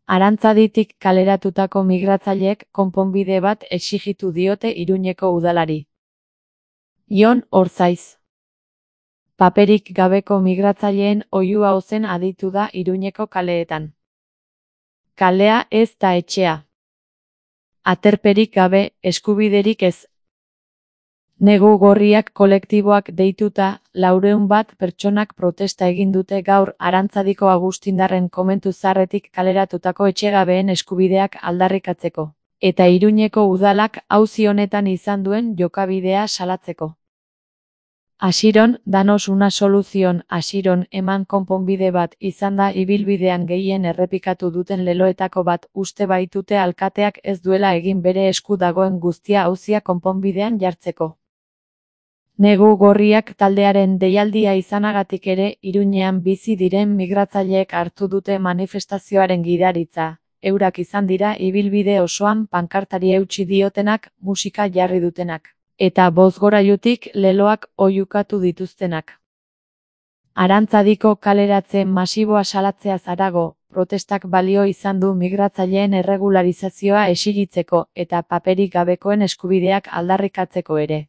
Arantzaditik kaleratutako migratzaileek konponbide bat exijitu diote Iruñeko udalari. Jon Orzaiz. Paperik gabeko migratzaileen oihua ozen aditu da Iruñeko kaleetan. Kalea ez da etxea. Aterperik gabe, eskubiderik ez. Negu gorriak kolektiboak deituta, 400 pertsonak protesta egin dute gaur Arantzadiko Agustindarren komentu zaharretik kaleratutako etxegabeen eskubideak aldarrikatzeko, eta Iruñeko udalak auzi honetan izan duen jokabidea salatzeko. Asiron, danos una soluzion, asiron, eman konponbide bat izan da ibilbidean gehien errepikatu duten leloetako bat uste baitute alkateak ez duela egin bere esku dagoen guztia auzia konponbidean jartzeko. Negu gorriak taldearen deialdia izanagatik ere Iruñean bizi diren migratzaileek hartu dute manifestazioaren gidaritza, eurak izan dira ibilbide osoan pankartari eutsi diotenak, musika jarri dutenak, eta bozgorailutik leloak oihukatu dituztenak. Arantzadiko kaleratze masiboa salatzeaz harago, protestak balio izan du migratzaileen erregularizazioa exigitzeko eta paperik gabekoen eskubideak aldarrikatzeko ere.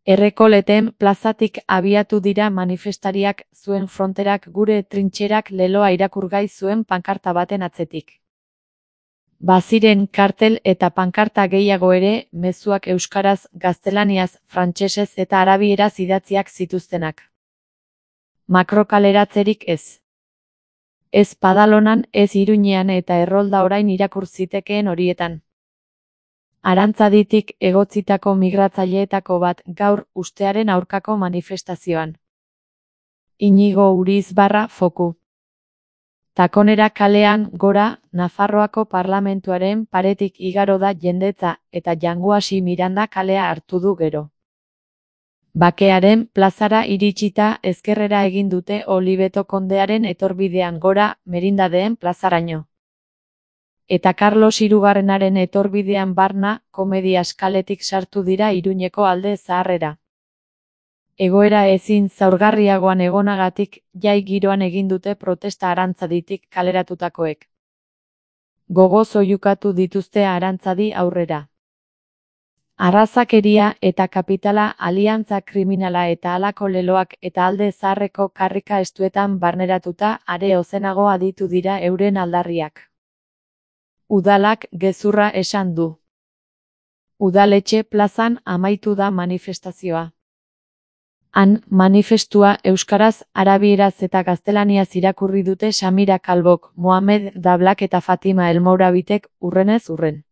Errekoleten plazatik abiatu dira manifestariak zuen fronterak gure trintxerak leloa irakurgai zuen pankarta baten atzetik. Baziren kartel eta pankarta gehiago ere, mezuak euskaraz, gaztelaniaz, frantsesez eta arabieraz idatziak zituztenak. Makrokaleratzerik ez. Ez Padalonan, ez Iruñean eta Errolda orain irakur zitekeen horietan. Arantzaditik egotzitako migratzaileetako bat gaur ustearen aurkako manifestazioan. Inigo Urizbarra foku. Takonera kalean gora, Nafarroako parlamentuaren paretik igaro da jendetza eta Janguasi Miranda kalea hartu du gero. Bakearen plazara iritsita ezkerrera egin dute Olibeto kondearen etorbidean gora, Merindadeen plazaraino. Eta Carlos Hirugarrenaren etorbidean barna, Komedia eskaletik sartu dira Iruñeko alde zaharrera. Egoera ezin zaurgarriagoan egonagatik, jai giroan egin dute protesta Arantzaditik kaleratutakoek. Gogoz oihukatu dituzte Arantzadi aurrera. Arrazakeria eta kapitala, aliantza kriminala eta halako leloak eta alde zaharreko karrika estuetan barneratuta are ozenago aditu dira euren aldarriak. Udalak gezurra esan du. Udaletxe plazan amaitu da manifestazioa. Han, manifestua euskaraz, arabieraz eta gaztelaniaz irakurri dute Samira Kalbok, Mohamed Dablak eta Fatima Elmourabitek urrenez urren.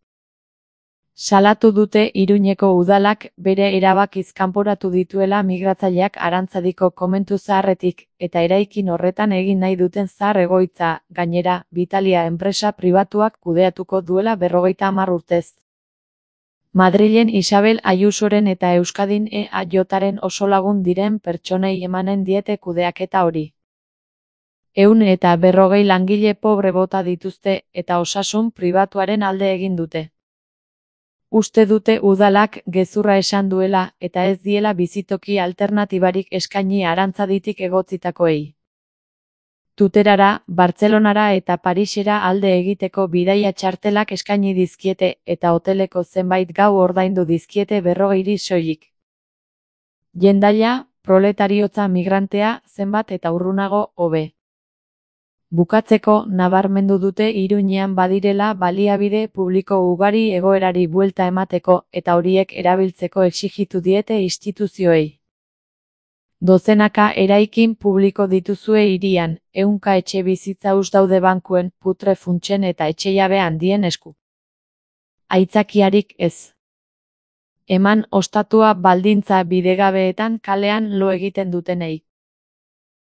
Salatu dute Iruñeko udalak bere erabakiz kanporatu dituela migratzaileak Arantzadiko komentu zaharretik, eta eraikin horretan egin nahi duten zahar egoitza, gainera, Vitalia enpresa pribatuak kudeatuko duela 50 urtez. Madrilen Isabel Ayusoren eta Euskadin EAJaren oso lagun diren pertsonei emanen diete kudeaketa hori. 140 langile pobre bota dituzte eta osasun pribatuaren alde egin dute. Uste dute udalak gezurra esan duela eta ez diela bizitoki alternatibarik eskaini Arantzaditik egotzitakoei. Tuterara, Bartzelonara eta Parisera alde egiteko bidaia txartelak eskaini dizkiete eta hoteleko zenbait gau ordaindu dizkiete 40 soilik. Jendaia, proletariotza migrantea, zenbat eta urrunago hobe. Bukatzeko, nabarmendu dute Iruñean badirela baliabide publiko ugari egoerari buelta emateko eta horiek erabiltzeko exijitu diete instituzioei. Dozenaka eraikin publiko dituzue hirian, 100 etxe bizitza huts daude bankuen, putre funtsen eta etxejabe handien esku. Aitzakiarik ez. Eman ostatua baldintza bidegabeetan kalean lo egiten dutenei.